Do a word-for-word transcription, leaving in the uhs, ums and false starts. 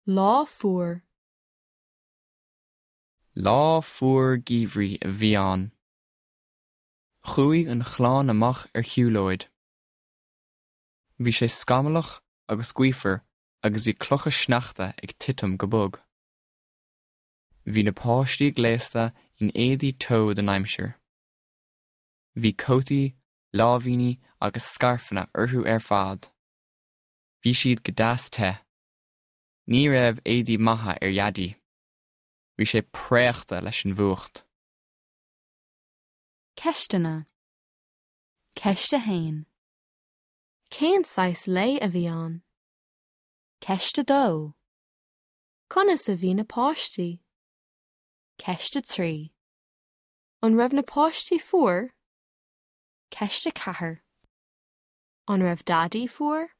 Lá fuar. Lá fuar geimhridh a bhí ann. Chuaigh an chlann amach ar shiúlóid. Bhí sé scamallach agus gaofar agus bhí clocha sneachta ag titim go bog. Bhí na páistí gléasta in éadaí teo don aimsir. Bhí cótaí, láimhíní agus scairfeanna orthu ar fad. Bhí siad go deas te. Ní raibh éadaí maithe ar Dhaidí. Bhí sé préachta leis an bhfuacht. Ceisteanna. Ceist a haon. Cén saghas lae a bhí ann? Ceist a dó. Conas a bhí na páistí? Ceist a trí. An raibh na páistí fuar? Ceist a ceathair. An raibh Daidí fuar?